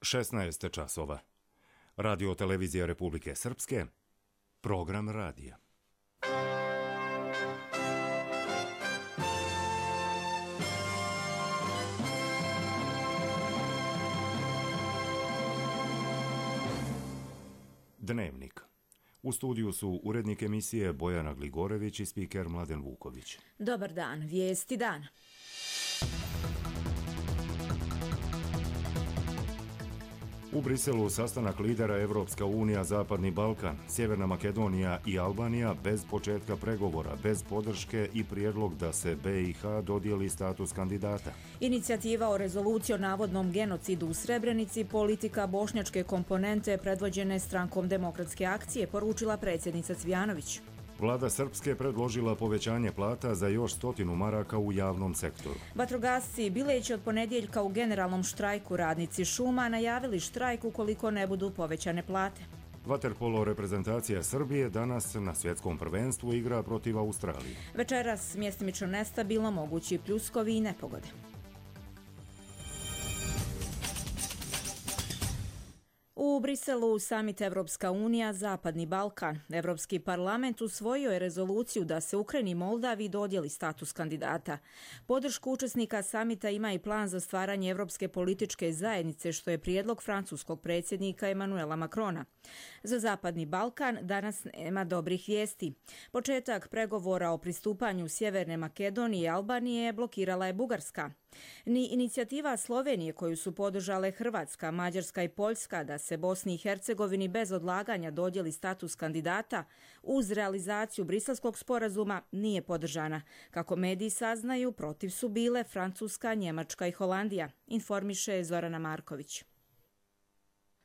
16 časova. Radio televizija Republike Srpske, program radija. Dnevnik. U studiju su urednik emisije Bojana Gligorević i spiker Mladen Vuković. Dobar dan, vijesti dana. U Briselu sastanak lidera Evropska unija, Zapadni Balkan, Sjeverna Makedonija i Albanija bez početka pregovora, bez podrške i prijedlog da se BiH dodijeli status kandidata. Inicijativa o rezoluciji o navodnom genocidu u Srebrenici, politika bošnjačke komponente predvođene Strankom demokratske akcije, poručila predsjednica Cvijanović. Vlada Srpske predložila povećanje plata za još 100 maraka u javnom sektoru. Vatrogasci, bileći od ponedjeljka u generalnom štrajku, radnici šuma najavili štrajk ukoliko ne budu povećane plate. Vaterpolo reprezentacija Srbije danas na svjetskom prvenstvu igra protiv Australije. Večeras mjestimično nestabilno, mogući pljuskovi i nepogode. U Briselu samit Evropska unija, Zapadni Balkan. Evropski parlament usvojio je rezoluciju da se Ukrajini i Moldaviji dodijeli status kandidata. Podršku učesnika samita ima i plan za stvaranje Evropske političke zajednice, što je prijedlog francuskog predsjednika Emanuela Macrona. Za Zapadni Balkan danas nema dobrih vijesti. Početak pregovora o pristupanju Sjeverne Makedonije i Albanije blokirala je Bugarska. Ni inicijativa Slovenije, koju su podržale Hrvatska, Mađarska i Poljska, da se Bosni i Hercegovini bez odlaganja dodijeli status kandidata uz realizaciju Briselskog sporazuma, nije podržana. Kako mediji saznaju, protiv su bile Francuska, Njemačka i Holandija, informiše Zorana Marković.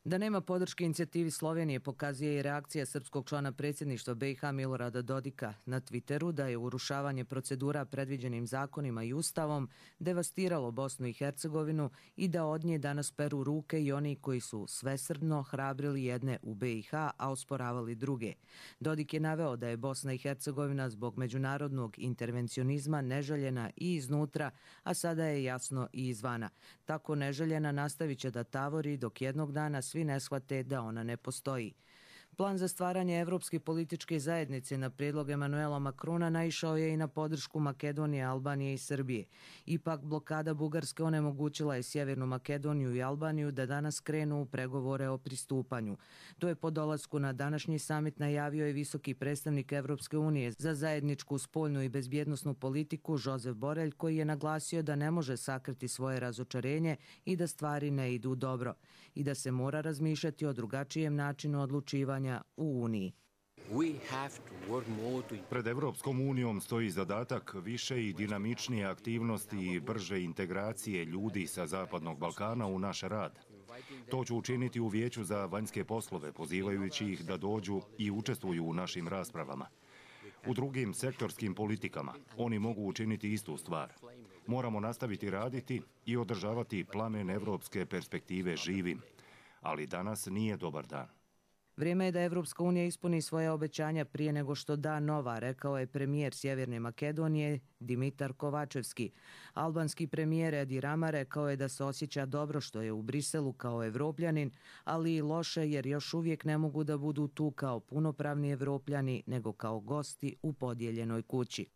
Da nema podrške inicijativi Slovenije pokazuje i reakcija srpskog člana predsjedništva BiH Milorada Dodika na Twitteru da je urušavanje procedura predviđenim zakonima i ustavom devastiralo Bosnu i Hercegovinu i da od nje danas peru ruke i oni koji su svesrdno hrabrili jedne u BiH, a osporavali druge. Dodik je naveo da je Bosna i Hercegovina zbog međunarodnog intervencionizma neželjena i iznutra, a sada je jasno i izvana. Tako neželjena nastavit će da tavori dok jednog dana svi ne shvate da ona ne postoji. Plan za stvaranje Evropske političke zajednice na prijedlog Emanuela Macrona naišao je i na podršku Makedonije, Albanije i Srbije. Ipak blokada Bugarske onemogućila je Sjevernu Makedoniju i Albaniju da danas krenu u pregovore o pristupanju. To je po dolasku na današnji samit najavio i visoki predstavnik Evropske unije za zajedničku spoljnu i bezbjednosnu politiku Josep Borrell, koji je naglasio da ne može sakriti svoje razočarenje i da stvari ne idu dobro i da se mora razmišljati o drugačijem načinu odlučivanja u Uniji. Pred Evropskom unijom stoji zadatak više i dinamičnije aktivnosti i brže integracije ljudi sa Zapadnog Balkana u naš rad. To ću učiniti u Vijeću za vanjske poslove, pozivajući ih da dođu i učestvuju u našim raspravama. U drugim sektorskim politikama oni mogu učiniti istu stvar. Moramo nastaviti raditi i održavati plamen evropske perspektive živim. Ali danas nije dobar dan. Vrijeme je da Evropska unija ispuni svoje obećanja prije nego što da nova, rekao je premijer Sjeverne Makedonije Dimitar Kovačevski. Albanski premijer Edi Rama rekao je da se osjeća dobro što je u Briselu kao Evropljanin, ali i loše jer još uvijek ne mogu da budu tu kao punopravni Evropljani, nego kao gosti u podijeljenoj kući.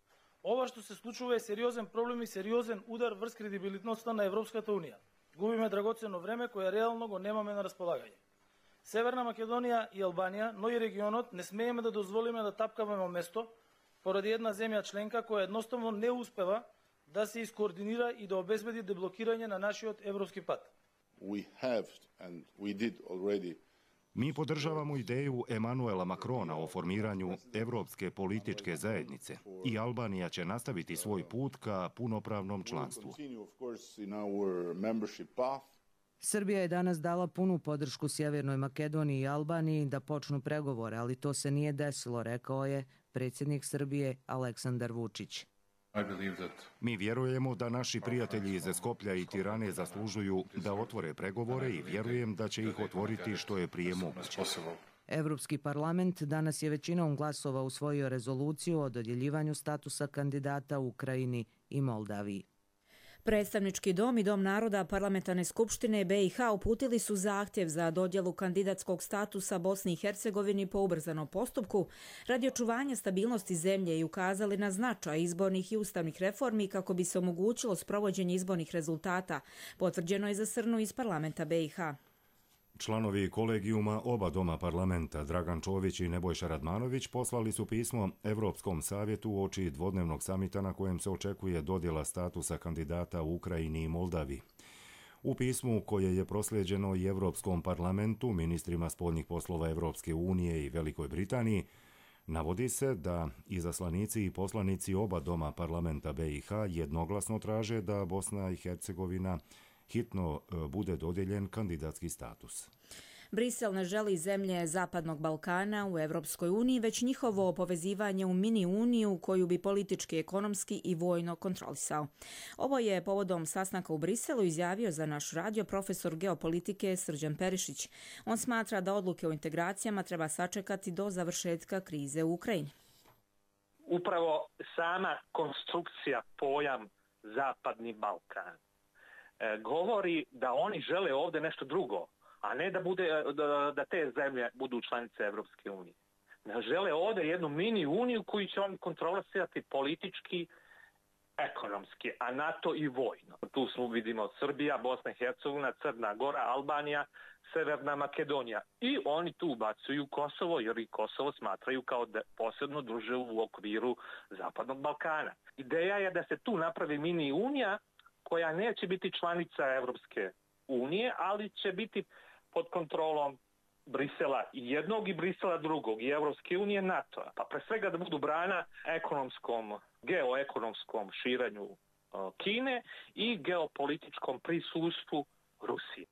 Ова што се случува е сериозен проблем и сериозен удар врз кредибилитноста на Европската унија. Губиме драгоценно време кое реално го немаме на располагање. Северна Македонија и Албанија, но и регионот не смееме да дозволиме да тапкаме во место поради една земја членка која едноставно не успева да се искоординира и да обезбеди деблокирање на нашиот европски пат. Mi podržavamo ideju Emanuela Macrona o formiranju Evropske političke zajednice i Albanija će nastaviti svoj put ka punopravnom članstvu. Srbija je danas dala punu podršku Sjevernoj Makedoniji i Albaniji da počnu pregovore, ali to se nije desilo, rekao je predsjednik Srbije Aleksandar Vučić. Mi vjerujemo da naši prijatelji iz Skoplja i Tirane zaslužuju da otvore pregovore i vjerujem da će ih otvoriti što je prije moguće. Evropski parlament danas je većinom glasova usvojio rezoluciju o dodjeljivanju statusa kandidata Ukrajini i Moldaviji. Predstavnički dom i Dom naroda Parlamentarne skupštine BiH uputili su zahtjev za dodjelu kandidatskog statusa Bosni i Hercegovini po ubrzanom postupku radi očuvanja stabilnosti zemlje i ukazali na značaj izbornih i ustavnih reformi kako bi se omogućilo sprovođenje izbornih rezultata, potvrđeno je za Srnu iz parlamenta BiH. Članovi kolegijuma oba doma parlamenta, Dragan Čović i Nebojša Radmanović, poslali su pismo Evropskom savjetu uoči dvodnevnog samita na kojem se očekuje dodjela statusa kandidata u Ukrajini i Moldaviji. U pismu koje je proslijeđeno i Evropskom parlamentu, ministrima spoljnih poslova Evropske unije i Velikoj Britaniji, navodi se da izaslanici i poslanici oba doma parlamenta BiH jednoglasno traže da Bosna i Hercegovina hitno bude dodijeljen kandidatski status. Brisel ne želi zemlje Zapadnog Balkana u Evropskoj uniji, već njihovo povezivanje u mini uniju koju bi politički, ekonomski i vojno kontrolisao. Ovo je povodom sastanka u Briselu izjavio za naš radio profesor geopolitike Srđan Perišić. On smatra da odluke o integracijama treba sačekati do završetka krize u Ukrajini. Upravo sama konstrukcija pojam Zapadni Balkan govori da oni žele ovdje nešto drugo, a ne da te zemlje budu članice Evropske unije. Žele ovdje jednu mini uniju koju će oni kontrolisati politički, ekonomski, a NATO i vojno. Tu vidimo Srbija, Bosna i Hercegovina, Crna Gora, Albanija, Severna Makedonija. I oni tu ubacuju Kosovo, jer i Kosovo smatraju kao posebno državu u okviru Zapadnog Balkana. Ideja je da se tu napravi mini unija koja neće biti članica Evropske unije, ali će biti pod kontrolom Brisela jednog i Brisela drugog, i Evropske unije, NATO-a. Pa pre svega da budu brana geoekonomskom širenju Kine i geopolitičkom prisustvu Rusije.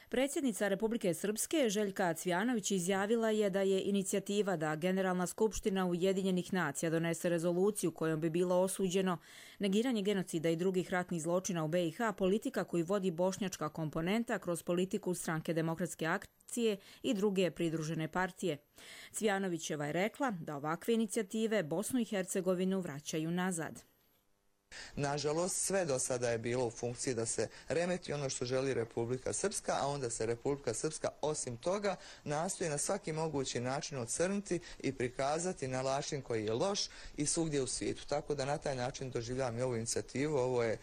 Predsjednica Republike Srpske Željka Cvjanović izjavila je da je inicijativa da Generalna skupština Ujedinjenih nacija donese rezoluciju kojom bi bilo osuđeno negiranje genocida i drugih ratnih zločina u BiH politika koju vodi bošnjačka komponenta kroz politiku Stranke demokratske akcije i druge pridružene partije. Cvjanovićeva je rekla da ovakve inicijative Bosnu i Hercegovinu vraćaju nazad. Nažalost, sve do sada je bilo u funkciji da se remeti ono što želi Republika Srpska, a onda se Republika Srpska osim toga nastoji na svaki mogući način ocrniti i prikazati na način koji je loš i svugdje u svijetu. Tako da na taj način doživljavam i ovu inicijativu. Ovo je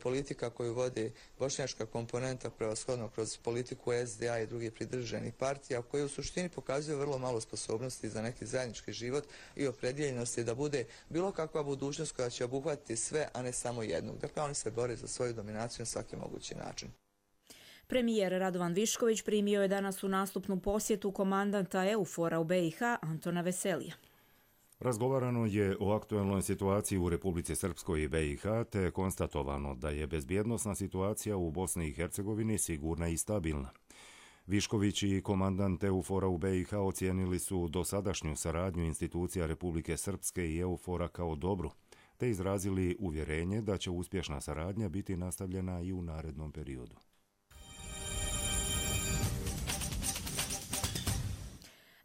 politika koju vodi bošnjačka komponenta prevashodno kroz politiku SDA i drugih pridruženih partija, koji u suštini pokazuju vrlo malo sposobnosti za neki zajednički život i opredjeljenosti da bude bilo kakva budućnost koja će obuhvatiti sve, a ne samo jednog. Dakle, oni se bore za svoju dominaciju na svaki mogući način. Premijer Radovan Višković primio je danas u nastupnu posjetu komandanta EUFOR-a u BiH Antona Veselija. Razgovarano je o aktuelnoj situaciji u Republici Srpskoj i BiH, te je konstatovano da je bezbjednosna situacija u Bosni i Hercegovini sigurna i stabilna. Višković i komandant EUFOR-a u BiH ocijenili su dosadašnju saradnju institucija Republike Srpske i EUFOR-a kao dobru, te izrazili uvjerenje da će uspješna saradnja biti nastavljena i u narednom periodu.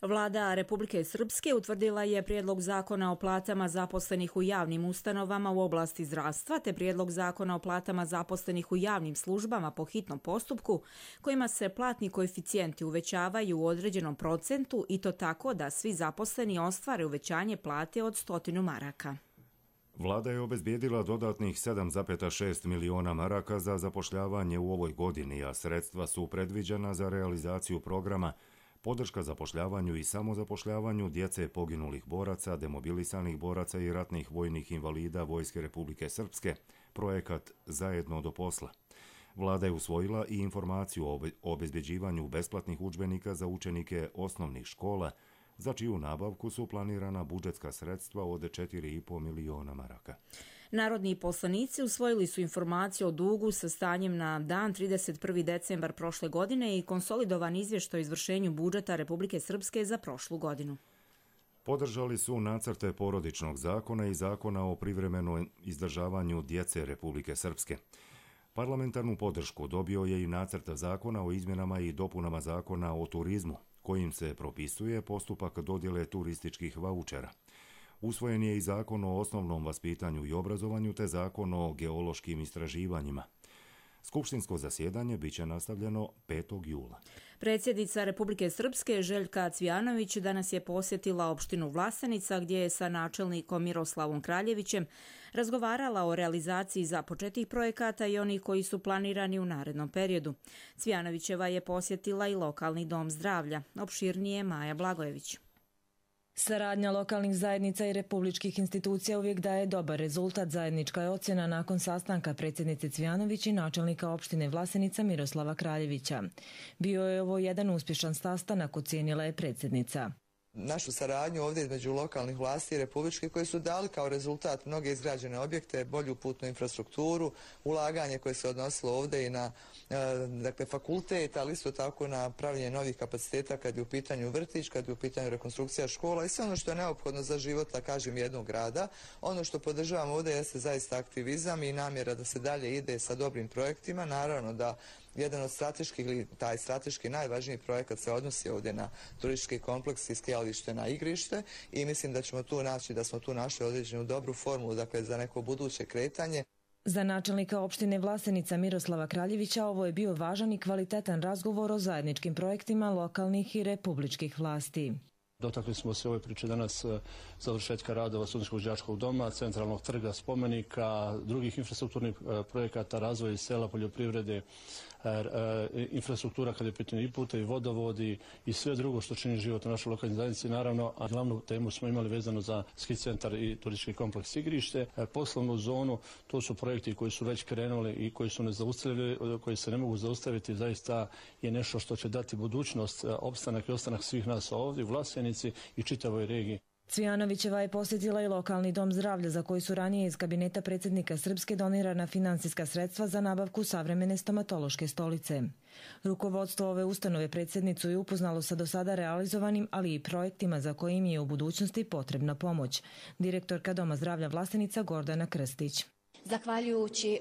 Vlada Republike Srpske utvrdila je prijedlog zakona o platama zaposlenih u javnim ustanovama u oblasti zdravstva te prijedlog zakona o platama zaposlenih u javnim službama po hitnom postupku kojima se platni koeficijenti uvećavaju u određenom procentu i to tako da svi zaposleni ostvare uvećanje plate od 100 maraka. Vlada je obezbijedila dodatnih 7,6 miliona maraka za zapošljavanje u ovoj godini, a sredstva su predviđena za realizaciju programa podrška zapošljavanju i samozapošljavanju djece poginulih boraca, demobilisanih boraca i ratnih vojnih invalida Vojske Republike Srpske, projekat Zajedno do posla. Vlada je usvojila i informaciju o obezbeđivanju besplatnih udžbenika za učenike osnovnih škola, za čiju nabavku su planirana budžetska sredstva od 4,5 miliona maraka. Narodni poslanici usvojili su informaciju o dugu sa stanjem na dan 31. decembar prošle godine i konsolidovan izvještaj o izvršenju budžeta Republike Srpske za prošlu godinu. Podržali su nacrte porodičnog zakona i zakona o privremenom izdržavanju djece Republike Srpske. Parlamentarnu podršku dobio je i nacrt zakona o izmjenama i dopunama zakona o turizmu, kojim se propisuje postupak dodjele turističkih vaučera. Usvojen je i zakon o osnovnom vaspitanju i obrazovanju te zakon o geološkim istraživanjima. Skupštinsko zasjedanje biće nastavljeno 5. jula. Predsjednica Republike Srpske Željka Cvijanović danas je posjetila opštinu Vlasenica gdje je sa načelnikom Miroslavom Kraljevićem razgovarala o realizaciji započetih projekata i onih koji su planirani u narednom periodu. Cvijanovićeva je posjetila i lokalni dom zdravlja. Opširnije Maja Blagojević. Saradnja lokalnih zajednica i republičkih institucija uvijek daje dobar rezultat. Zajednička je ocjena nakon sastanka predsjednice Cvijanović i načelnika opštine Vlasenica Miroslava Kraljevića. Bio je ovo jedan uspješan sastanak, ocijenila je predsjednica. Našu saradnju ovdje između lokalnih vlasti i republičkih koji su dali kao rezultat mnoge izgrađene objekte, bolju putnu infrastrukturu, ulaganje koje se odnosilo ovdje i na fakultet, ali isto tako na pravljenje novih kapaciteta kad je u pitanju vrtić, kad je u pitanju rekonstrukcija škola i sve ono što je neophodno za život, da kažem, jednog grada. Ono što podržavamo ovdje jeste zaista aktivizam i namjera da se dalje ide sa dobrim projektima. Naravno da jedan od strateških, ili taj strateški najvažniji projekat se odnosi ovdje na turistički kompleks i skijalište na igrište i mislim da ćemo tu naći, da smo tu našli određenu dobru formulu, dakle, za neko buduće kretanje. Za načelnika opštine Vlasenica Miroslava Kraljevića ovo je bio važan i kvalitetan razgovor o zajedničkim projektima lokalnih i republičkih vlasti. Dotakli smo se ove priče danas završetka radova Studentskog đačkog doma, centralnog trga, spomenika, drugih infrastrukturnih projekata, razvoja sela, poljoprivrede, infrastruktura kada je pitanje i puta i vodovodi i sve drugo što čini život u našoj lokalnoj zajednici. Naravno, a glavnu temu smo imali vezano za ski centar i turistički kompleks igrište. Poslovnu zonu, to su projekti koji su već krenuli i koji su nezaustavljivi, koji se ne mogu zaustaviti. Zaista je nešto što će dati budućnost, opstanak i ostanak svih nas ovdje u Vlasenici i čitavoj regiji. Cvijanovićeva je posjetila i lokalni dom zdravlja za koji su ranije iz kabineta predsjednika Srpske donirana finansijska sredstva za nabavku savremene stomatološke stolice. Rukovodstvo ove ustanove predsjednicu je upoznalo sa do sada realizovanim, ali i projektima za kojim je u budućnosti potrebna pomoć. Direktorka Doma zdravlja Vlasenica Gordana Krstić. Zahvaljujući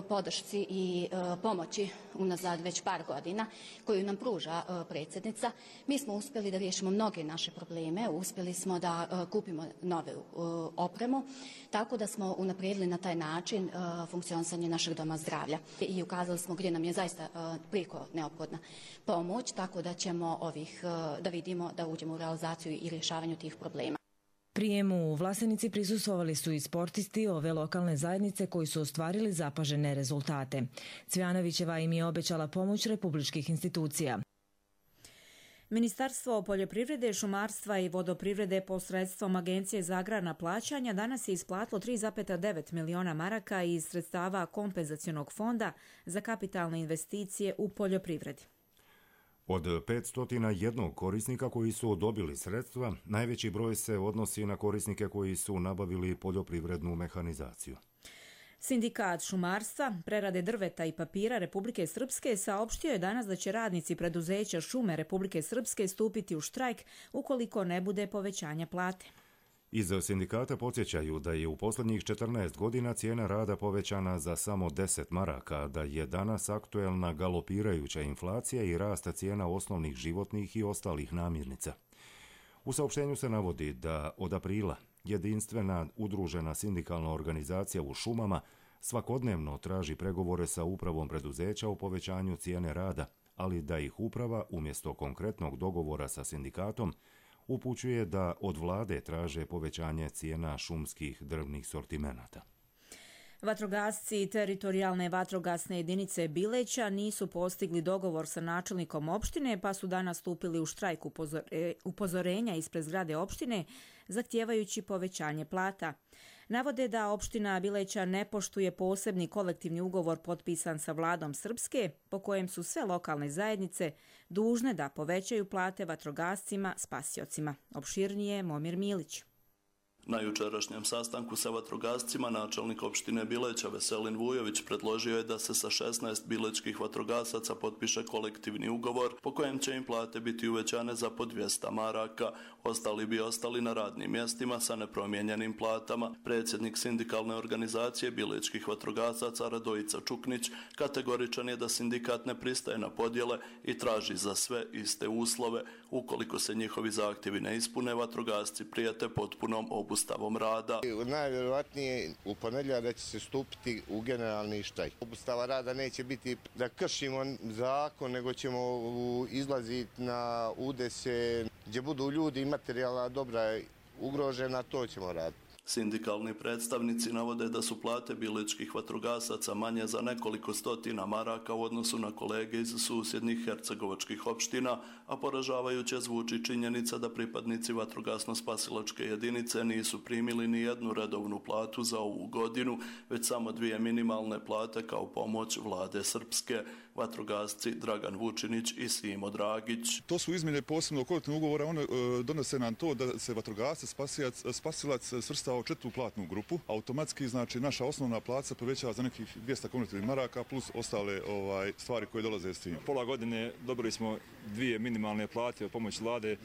podršci i pomoći unazad već par godina koju nam pruža predsjednica, mi smo uspjeli da riješimo mnoge naše probleme, uspjeli smo da kupimo nove opremu, tako da smo unaprijedili na taj način funkcionisanje našeg doma zdravlja i ukazali smo gdje nam je zaista prijeko neophodna pomoć, tako da ćemo da vidimo da uđemo u realizaciju i rješavanju tih problema. Prijemu u Vlasenici prisustvovali su i sportisti ove lokalne zajednice koji su ostvarili zapažene rezultate. Cvijanovićeva im je obećala pomoć republičkih institucija. Ministarstvo poljoprivrede, šumarstva i vodoprivrede posredstvom Agencije za agrarna plaćanja danas je isplatilo 3,9 miliona maraka iz sredstava kompenzacionog fonda za kapitalne investicije u poljoprivredi. Od 501 korisnika koji su dobili sredstva, najveći broj se odnosi na korisnike koji su nabavili poljoprivrednu mehanizaciju. Sindikat šumarstva, prerade drveta i papira Republike Srpske saopštio je danas da će radnici preduzeća Šume Republike Srpske stupiti u štrajk ukoliko ne bude povećanja plate. Iz sindikata podsjećaju da je u posljednjih 14 godina cijena rada povećana za samo 10 maraka, da je danas aktuelna galopirajuća inflacija i rasta cijena osnovnih životnih i ostalih namirnica. U saopštenju se navodi da od aprila jedinstvena udružena sindikalna organizacija u šumama svakodnevno traži pregovore sa upravom preduzeća o povećanju cijene rada, ali da ih uprava umjesto konkretnog dogovora sa sindikatom upućuje da od vlade traže povećanje cijena šumskih drvnih sortimenata. Vatrogasci teritorijalne vatrogasne jedinice Bileća nisu postigli dogovor sa načelnikom opštine pa su danas stupili u štrajk upozorenja ispred zgrade opštine zahtijevajući povećanje plata. Navode da opština Bileća ne poštuje posebni kolektivni ugovor potpisan sa vladom Srpske po kojem su sve lokalne zajednice dužne da povećaju plate vatrogascima spasiocima. Opširnije Momir Milić. Na jučerašnjem sastanku sa vatrogascima načelnik opštine Bileća Veselin Vujović predložio je da se sa 16 bilečkih vatrogasaca potpiše kolektivni ugovor po kojem će im plate biti uvećane za po 200 maraka. Ostali bi ostali na radnim mjestima sa nepromijenjenim platama. Predsjednik sindikalne organizacije bilečkih vatrogasaca Radojica Čuknić kategoričan je da sindikat ne pristaje na podjele i traži za sve iste uslove. Ukoliko se njihovi zahtjevi ne ispune, vatrogasci prijete potpunom obustavom obustavom rada. Najvjerojatnije u ponedjeljak da će se stupiti u generalni štrajk. Obustava rada neće biti da kršimo zakon, nego ćemo izlaziti na udese gdje budu ljudi i materijalna dobra ugrožena, to ćemo raditi. Sindikalni predstavnici navode da su plate biličkih vatrogasaca manje za nekoliko stotina maraka u odnosu na kolege iz susjednih hercegovačkih opština, a poražavajuće zvuči činjenica da pripadnici vatrogasno-spasilačke jedinice nisu primili ni jednu redovnu platu za ovu godinu, već samo 2 minimalne plate kao pomoć vlade Srpske. Vatrogasci Dragan Vučinić i Simo Dragić. To su izmjene posebno kolektivnog ugovora, one donose nam to da se vatrogasac, spasilac svrstao u 4. platnu grupu. Automatski, znači, naša osnovna plaća povećava za nekih 200 konvertibilnih maraka plus ostale stvari koje dolaze s tim. Pola godine dobili smo 2 minimalne plate od pomoći vlade.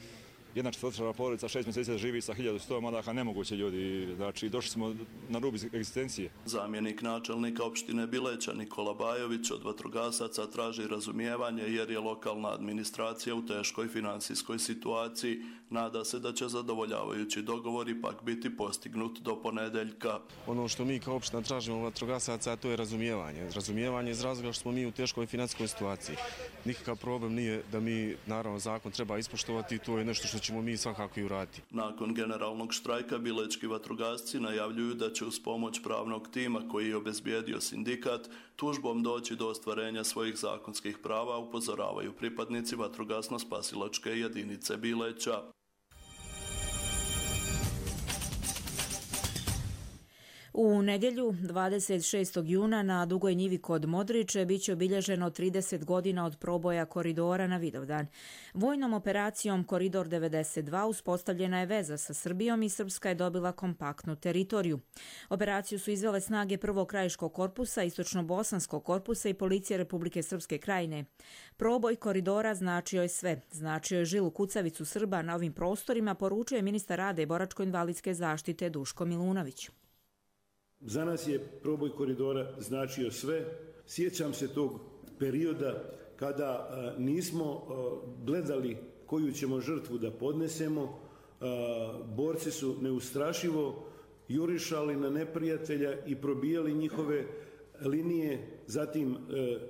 Jedna četvrtčlana porodica 6 mjeseci živi sa 1100 maraka, nemoguće ljudi, znači došli smo na rub egzistencije. Zamjenik načelnika opštine Bileća Nikola Bajović od vatrogasaca traži razumijevanje jer je lokalna administracija u teškoj finansijskoj situaciji. Nada se da će zadovoljavajući dogovor ipak biti postignut do ponedeljka. Ono što mi kao opština tražimo vatrogasaca, to je razumijevanje. Razumijevanje iz razloga što smo mi u teškoj financijskoj situaciji. Nikakav problem nije da mi, naravno, zakon treba ispoštovati, to je nešto što ćemo mi svakako i uraditi. Nakon generalnog štrajka bilečki vatrogasci najavljuju da će uz pomoć pravnog tima koji je obezbijedio sindikat tužbom doći do ostvarenja svojih zakonskih prava, upozoravaju pripadnici vatrogasno-spasilačke jedinice Bileća. U nedjelju, 26. juna, na Dugoj njivi kod Modriče biće obilježeno 30 godina od proboja koridora na Vidovdan. Vojnom operacijom Koridor 92 uspostavljena je veza sa Srbijom i Srpska je dobila kompaktnu teritoriju. Operaciju su izvele snage Prvog krajiškog korpusa, Istočno-bosanskog korpusa i Policije Republike Srpske krajine. Proboj koridora značio je sve. Značio je žilu kucavicu Srba na ovim prostorima, poručuje ministar rada i boračko-invalidske zaštite Duško Milunović. Za nas je proboj koridora značio sve. Sjećam se tog perioda kada nismo gledali koju ćemo žrtvu da podnesemo. Borci su neustrašivo jurišali na neprijatelja i probijali njihove linije, zatim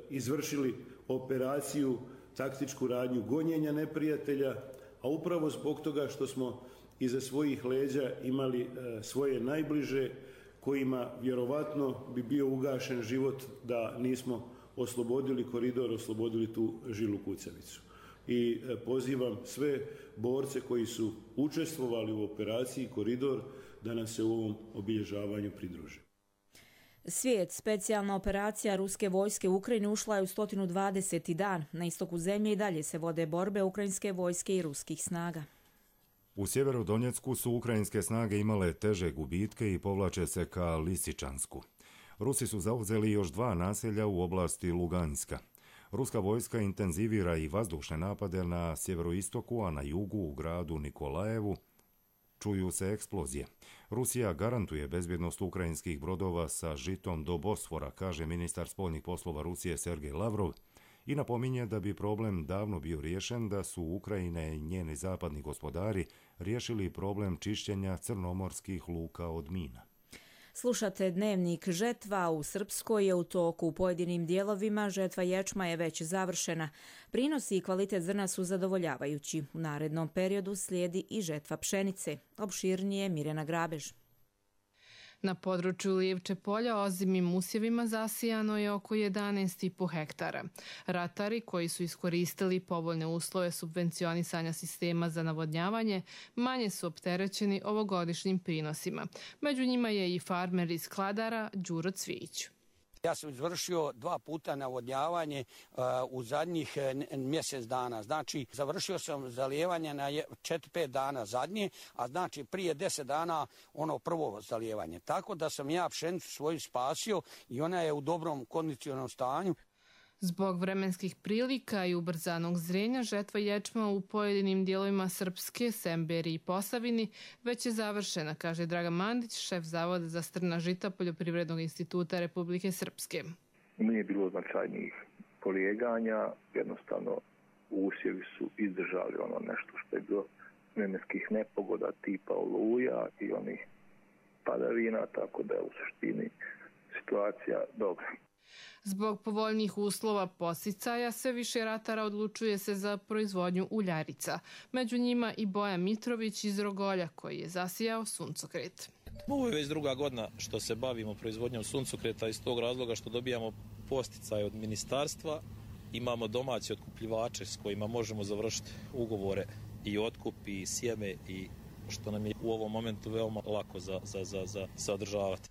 izvršili operaciju, taktičku radnju gonjenja neprijatelja, a upravo zbog toga što smo iza svojih leđa imali svoje najbliže, kojima vjerovatno bi bio ugašen život da nismo oslobodili koridor, oslobodili tu žilu kucavicu. I pozivam sve borce koji su učestvovali u operaciji Koridor da nam se u ovom obilježavanju pridruže. Svijet, specijalna operacija ruske vojske u Ukrajini ušla je u 120. dan. Na istoku zemlje i dalje se vode borbe ukrajinske vojske i ruskih snaga. U sjeveru Donjecku su ukrajinske snage imale teže gubitke i povlače se ka Lisičansku. Rusi su zauzeli još 2 naselja u oblasti Luganska. Ruska vojska intenzivira i vazdušne napade na sjeveroistoku, a na jugu u gradu Nikolajevu čuju se eksplozije. Rusija garantuje bezbjednost ukrajinskih brodova sa žitom do Bosfora, kaže ministar spoljnih poslova Rusije Sergej Lavrov, i napominje da bi problem davno bio riješen da su Ukrajina i njeni zapadni gospodari riješili problem čišćenja crnomorskih luka od mina. Slušate dnevnik. Žetva u Srpskoj je u toku. U pojedinim dijelovima žetva ječma je već završena. Prinosi i kvalitet zrna su zadovoljavajući. U narednom periodu slijedi i žetva pšenice. Opširnije Mirjana Grabež. Na području Livče polja ozimim usjevima zasijano je oko 11,5 hektara. Ratari koji su iskoristili povoljne uslove subvencionisanja sistema za navodnjavanje manje su opterećeni ovogodišnjim prinosima. Među njima je i farmer iz Kladara Đuro Cvijić. Ja sam izvršio 2 puta navodnjavanje u zadnjih mjesec dana. Znači, završio sam zalijevanje na 4-5 dana zadnje, a znači prije 10 dana ono prvo zalijevanje. Tako da sam ja pšenicu svoju spasio i ona je u dobrom kondicionalnom stanju. Zbog vremenskih prilika i ubrzanog zrenja, žetva ječma u pojedinim dijelovima Srpske, Semberi i Posavini već je završena, kaže Dragan Mandić, šef Zavoda za strna žita Poljoprivrednog instituta Republike Srpske. Nije bilo značajnijih polijeganja, jednostavno usjevi su izdržali ono nešto što je bilo vremenskih nepogoda tipa oluja i onih padavina, tako da je u suštini situacija dobra. Zbog povoljnijih uslova podsticaja sve više ratara odlučuje se za proizvodnju uljarica. Među njima i Boja Mitrović iz Rogolja koji je zasijao suncokret. Ovo je već druga godina što se bavimo proizvodnjom suncokreta iz tog razloga što dobijamo podsticaje od ministarstva. Imamo domaće otkupljivače s kojima možemo završiti ugovore i otkup i sjeme i što nam je u ovom momentu veoma lako za održavati.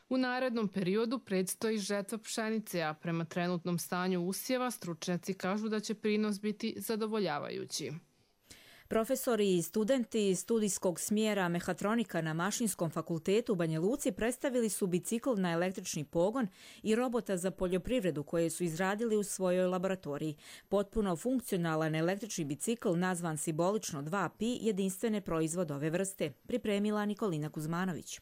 U narednom periodu predstoji žetva pšenice, a prema trenutnom stanju usjeva stručnjaci kažu da će prinos biti zadovoljavajući. Profesori i studenti studijskog smjera mehatronika na Mašinskom fakultetu u Banja Luci predstavili su bicikl na električni pogon i robota za poljoprivredu koje su izradili u svojoj laboratoriji. Potpuno funkcionalan električni bicikl nazvan simbolično 2Pi jedinstvene proizvod ove vrste, pripremila Nikolina Kuzmanović.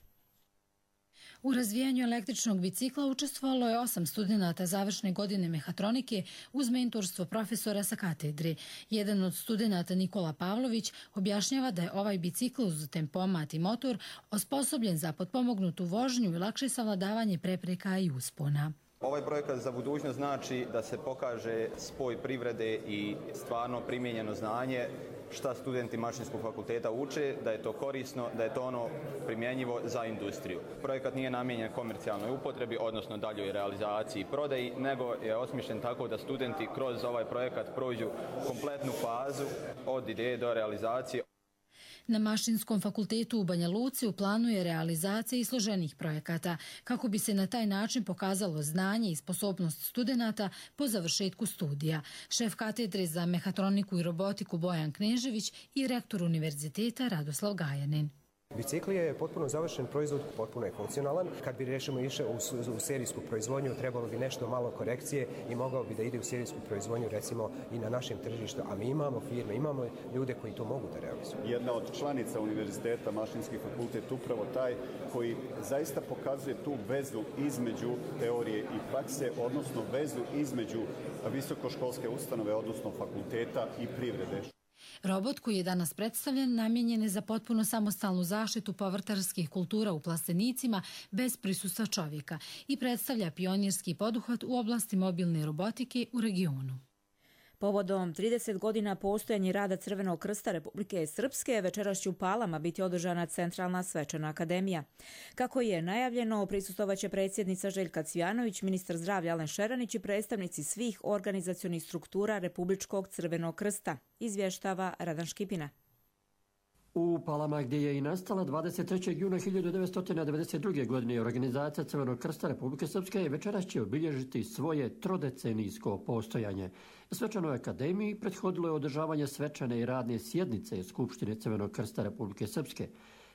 U razvijanju električnog bicikla učestvovalo je 8 studenata završne godine mehatronike uz mentorstvo profesora sa katedre. Jedan od studenata, Nikola Pavlović, objašnjava da je ovaj bicikl uz tempomat i motor osposobljen za potpomognutu vožnju i lakše savladavanje prepreka i uspona. Ovaj projekat za budućnost znači da se pokaže spoj privrede i stvarno primijenjeno znanje šta studenti Mašinskog fakulteta uče, da je to korisno, da je to ono primjenjivo za industriju. Projekat nije namijenjen komercijalnoj upotrebi, odnosno daljoj realizaciji i prodaji, nego je osmišljen tako da studenti kroz ovaj projekat prođu kompletnu fazu od ideje do realizacije. Na Mašinskom fakultetu u Banja Luci u planu je realizacija i složenih projekata, kako bi se na taj način pokazalo znanje i sposobnost studenata po završetku studija. Šef katedre za mehatroniku i robotiku Bojan Knežević i rektor univerziteta Radoslav Gajanin. Bicikl je potpuno završen proizvod, potpuno je funkcionalan. Kad bi rešimo išao u serijsku proizvodnju, trebalo bi nešto malo korekcije i mogao bi da ide u serijsku proizvodnju recimo i na našem tržištu. A mi imamo firme, imamo ljude koji to mogu da realizuju. Jedna od članica univerziteta, Mašinski fakultet, upravo taj koji zaista pokazuje tu vezu između teorije i prakse, odnosno vezu između visokoškolske ustanove, odnosno fakulteta i privrede. Robot koji je danas predstavljen namijenjen je za potpuno samostalnu zaštitu povrtarskih kultura u plastenicima bez prisustva čovjeka i predstavlja pionirski poduhvat u oblasti mobilne robotike u regionu. Povodom 30 godina postojanja rada Crvenog krsta Republike Srpske večeras će u Palama biti održana centralna svečana akademija. Kako je najavljeno, prisustvovaće predsjednica Željka Cvijanović, ministar zdravlja Alen Šeranić i predstavnici svih organizacionih struktura Republičkog Crvenog krsta, izvještava Radan Škipina. U Palama, gdje je i nastala 23. juna 1992. godine organizacija Crvenog krsta Republike Srpske, večeras će obilježiti svoje trodecenijsko postojanje. Svečanoj akademiji prethodilo je održavanje svečane i radne sjednice Skupštine Crvenog krsta Republike Srpske.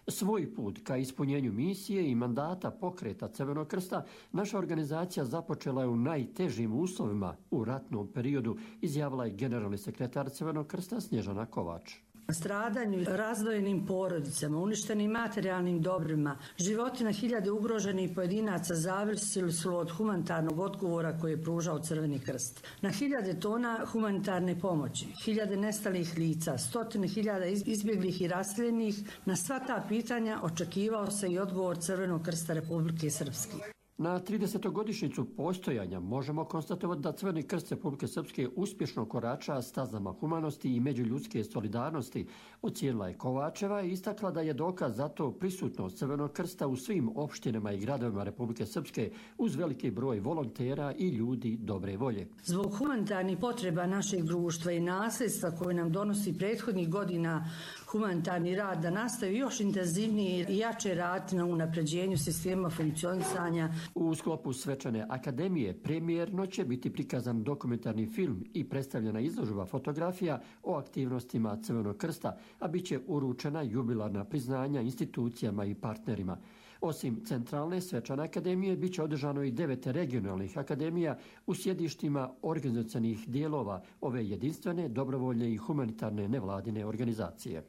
Svoj put ka ispunjenju misije i mandata pokreta Crvenog krsta naša organizacija započela je u najtežim uslovima u ratnom periodu, izjavila je generalni sekretar Crvenog krsta Snježana Kovač. Stradanju, razdvojenim porodicama, uništenim materijalnim dobrima, životi na hiljade ugroženih pojedinaca zavisili su od humanitarnog odgovora koji je pružao Crveni krst. Na hiljade tona humanitarne pomoći, hiljade nestalih lica, stotine hiljada izbjeglih i raseljenih, na sva ta pitanja očekivao se i odgovor Crvenog krsta Republike Srpske. Na 30-godišnjicu postojanja možemo konstatovati da Crveni krst Republike Srpske uspješno korača stazama humanosti i međuljudske solidarnosti, ocijenila je Kovačeva i istakla da je dokaz za to prisutnost Crvenog krsta u svim opštinama i gradovima Republike Srpske uz veliki broj volontera i ljudi dobre volje. Zbog humanitarnih potreba našeg društva i nasljedstva koje nam donosi prethodnih godina humanitarni rad da nastavi još intenzivnije i jače raditi na unapređenju sistema funkcionisanja. U sklopu svečane akademije premijerno će biti prikazan dokumentarni film i predstavljena izložba fotografija o aktivnostima Crvenog krsta, a bit će uručena jubilarna priznanja institucijama i partnerima. Osim centralne svečane akademije, bit će održano i 9 regionalnih akademija u sjedištima organizacionih dijelova ove jedinstvene, dobrovoljne i humanitarne nevladine organizacije.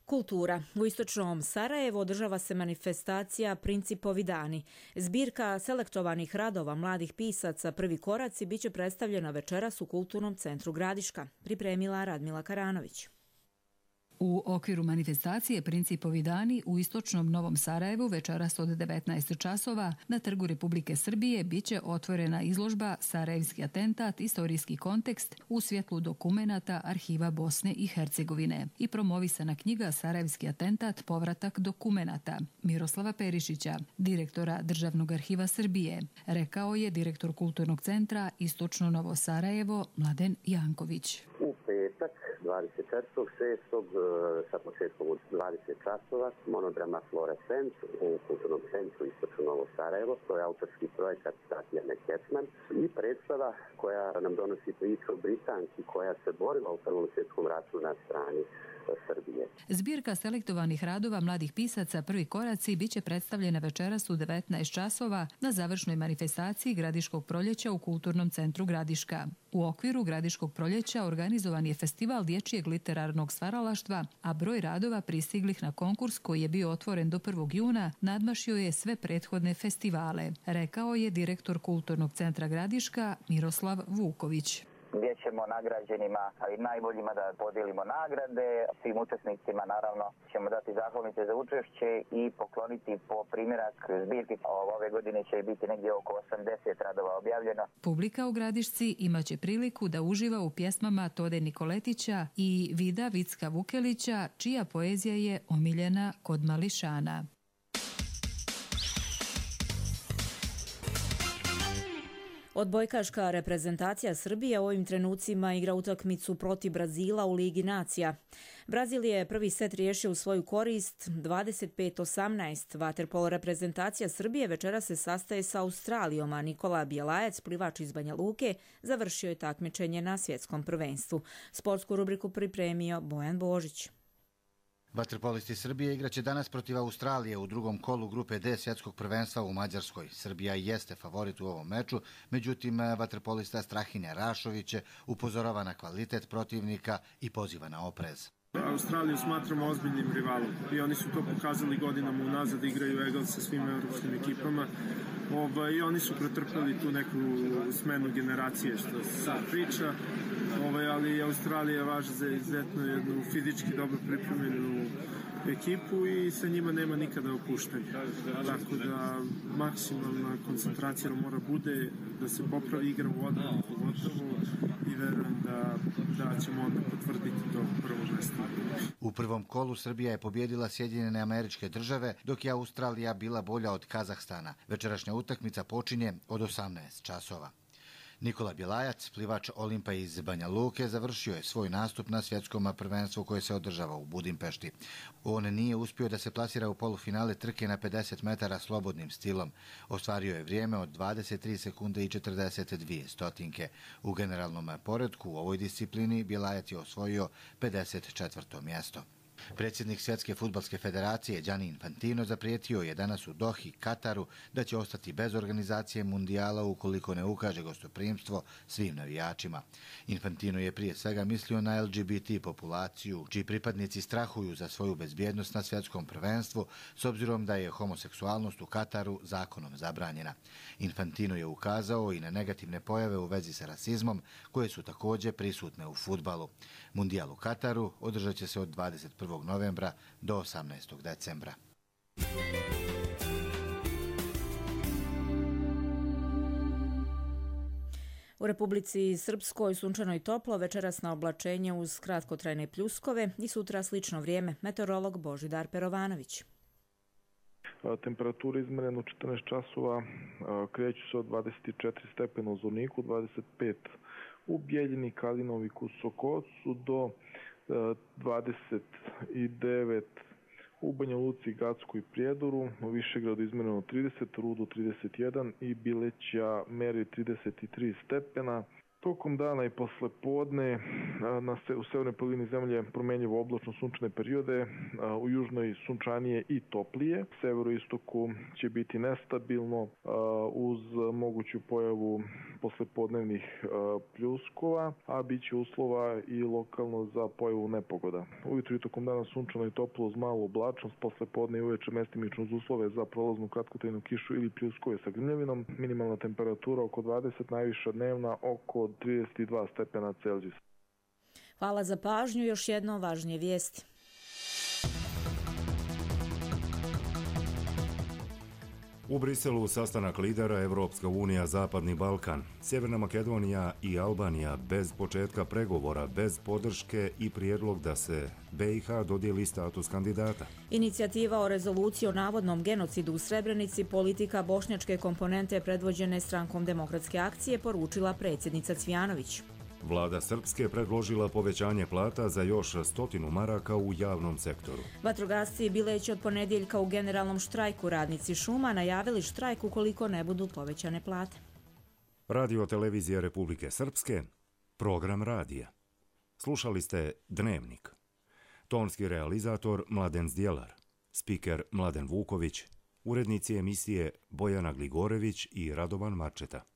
Kultura. U istočnom Sarajevu održava se manifestacija Principovi dani. Zbirka selektovanih radova mladih pisaca Prvi koraci biće predstavljena večeras u Kulturnom centru Gradiška, pripremila Radmila Karanović. U okviru manifestacije Principovi dani u istočnom Novom Sarajevu večeras od 19 časova na Trgu Republike Srbije biće otvorena izložba Sarajevski atentat, istorijski kontekst u svjetlu dokumenata Arhiva Bosne i Hercegovine i promovisana knjiga Sarajevski atentat, povratak dokumenata Miroslava Perišića, direktora Državnog arhiva Srbije, rekao je direktor Kulturnog centra Istočno Novo Sarajevo Mladen Janković. U petak 24.6. sa početkom od 20 časova monodrama Fluorescent u Kulturnom centru Istočno Novo Sarajevo. To je autorski projekat Tatjane Kecman i predstava koja nam donosi priču o Britanki koja se borila u Prvom svjetskom ratu na strani Srbije. Zbirka selektovanih radova mladih pisaca Prvi koraci biće predstavljena večeras u 19 časova na završnoj manifestaciji Gradiškog proljeća u Kulturnom centru Gradiška. U okviru Gradiškog proljeća organizovan je festival dječjeg literarnog stvaralaštva, a broj radova pristiglih na konkurs koji je bio otvoren do 1. juna nadmašio je sve prethodne festivale, rekao je direktor Kulturnog centra Gradiška Miroslav Vuković. Gdje ćemo nagrađenima, ali najboljima da podijelimo nagrade. Svim učesnicima naravno ćemo dati zahvalnice za učešće i pokloniti po primjerak zbirki. Ove godine će biti negdje oko 80 radova objavljeno. Publika u Gradišci imaće priliku da uživa u pjesmama Tode Nikoletića i Vida Vicka Vukelića, čija poezija je omiljena kod mališana. Odbojkaška reprezentacija Srbije u ovim trenucima igra utakmicu protiv Brazila u Ligi nacija. Brazil je prvi set riješio u svoju korist 25-18. Vaterpolo reprezentacija Srbije večera se sastaje sa Australijom, a Nikola Bjelajac, plivač iz Banja Luke, završio je takmičenje na svjetskom prvenstvu. Sportsku rubriku pripremio Bojan Božić. Vaterpolisti Srbije igraće danas protiv Australije u drugom kolu grupe D svjetskog prvenstva u Mađarskoj. Srbija jeste favorit u ovom meču, međutim vaterpolista Strahinja Rašović upozorava na kvalitet protivnika i poziva na oprez. Australiju smatramo ozbiljnim rivalom i oni su to pokazali godinama unazad, igraju egal sa svim evropskim ekipama. I oni su pretrpeli tu neku smenu generacije, što se sad priča, ali Australija važi za izuzetno jednu fizički dobro pripremljenu ekipu i sa njima nema nikada opuštanja. Tako da maksimalna koncentracija mora bude da se popravi igra u odbranu pogotovo i verujem da ćemo onda potvrditi to prvo mesto. U prvom kolu Srbija je pobjedila Sjedinjene Američke Države, dok je Australija bila bolja od Kazahstana. Večerašnja utakmica počinje od 18 časova. Nikola Bjelajac, plivač Olimpa iz Banja Luke, završio je svoj nastup na svjetskom prvenstvu koje se održava u Budimpešti. On nije uspio da se plasira u polufinale trke na 50 metara slobodnim stilom. Ostvario je vrijeme od 23 sekunde i 42 stotinke. U generalnom poretku u ovoj disciplini Bjelajac je osvojio 54. mjesto. Predsjednik Svjetske fudbalske federacije Gianni Infantino zaprijetio je danas u Dohi, Kataru, da će ostati bez organizacije mundijala ukoliko ne ukaže gostoprimstvo svim navijačima. Infantino je prije svega mislio na LGBT populaciju, čiji pripadnici strahuju za svoju bezbjednost na svjetskom prvenstvu, s obzirom da je homoseksualnost u Kataru zakonom zabranjena. Infantino je ukazao i na negativne pojave u vezi sa rasizmom, koje su također prisutne u fudbalu. Mundijal u Kataru održat će se od 21. novembra do 18. decembra. U Republici Srpskoj sunčano i toplo, večeras na oblačenje uz kratkotrajne pljuskove i sutra slično vrijeme. Meteorolog Božidar Perovanović. Temperatura izmerena u 14 časova kreću se od 24 stepena u Zvorniku, 25 u Bijeljini, Kalinovi, Kusokocu do 29 u Banja Luci, Gacku i Prijedoru, u Višegradu izmjereno 30, Rudu 31 i Bileća meri 33 stepena. Tokom dana i posle podne u severnoj polovini zemlje promjenjivo oblačno sunčane periode, u južnoj sunčanije i toplije. U severoistoku će biti nestabilno uz moguću pojavu poslepodnevnih pljuskova, a bit će uslova i lokalno za pojavu nepogoda. Ujutro i tokom dana sunčano i toplo uz malu oblačnost, poslepodne i uveče mestimično uz uslove za prolaznu kratkotrajnu kišu ili pljuskove sa grmljavinom. Minimalna temperatura oko 20, najviša dnevna oko 32 stepena Celzijusa. Hvala za pažnju, još jedno važnije vijesti. U Briselu sastanak lidera Evropska unija Zapadni Balkan, Sjeverna Makedonija i Albanija bez početka pregovora, bez podrške i prijedlog da se BiH dodijeli status kandidata. Inicijativa o rezoluciji o navodnom genocidu u Srebrenici, politika bošnjačke komponente predvođene Strankom demokratske akcije, poručila predsjednica Cvijanović. Vlada Srpske predložila povećanje plata za još 100 maraka u javnom sektoru. Vatrogasci Bileć od ponedjeljka u generalnom štrajku, radnici šuma najavili štrajk ukoliko ne budu povećane plate. Radio televizija Republike Srpske, program radija. Slušali ste Dnevnik. Tonski realizator Mladen Zdjelar, spiker Mladen Vuković, urednici emisije Bojana Gligorević i Radovan Marčeta.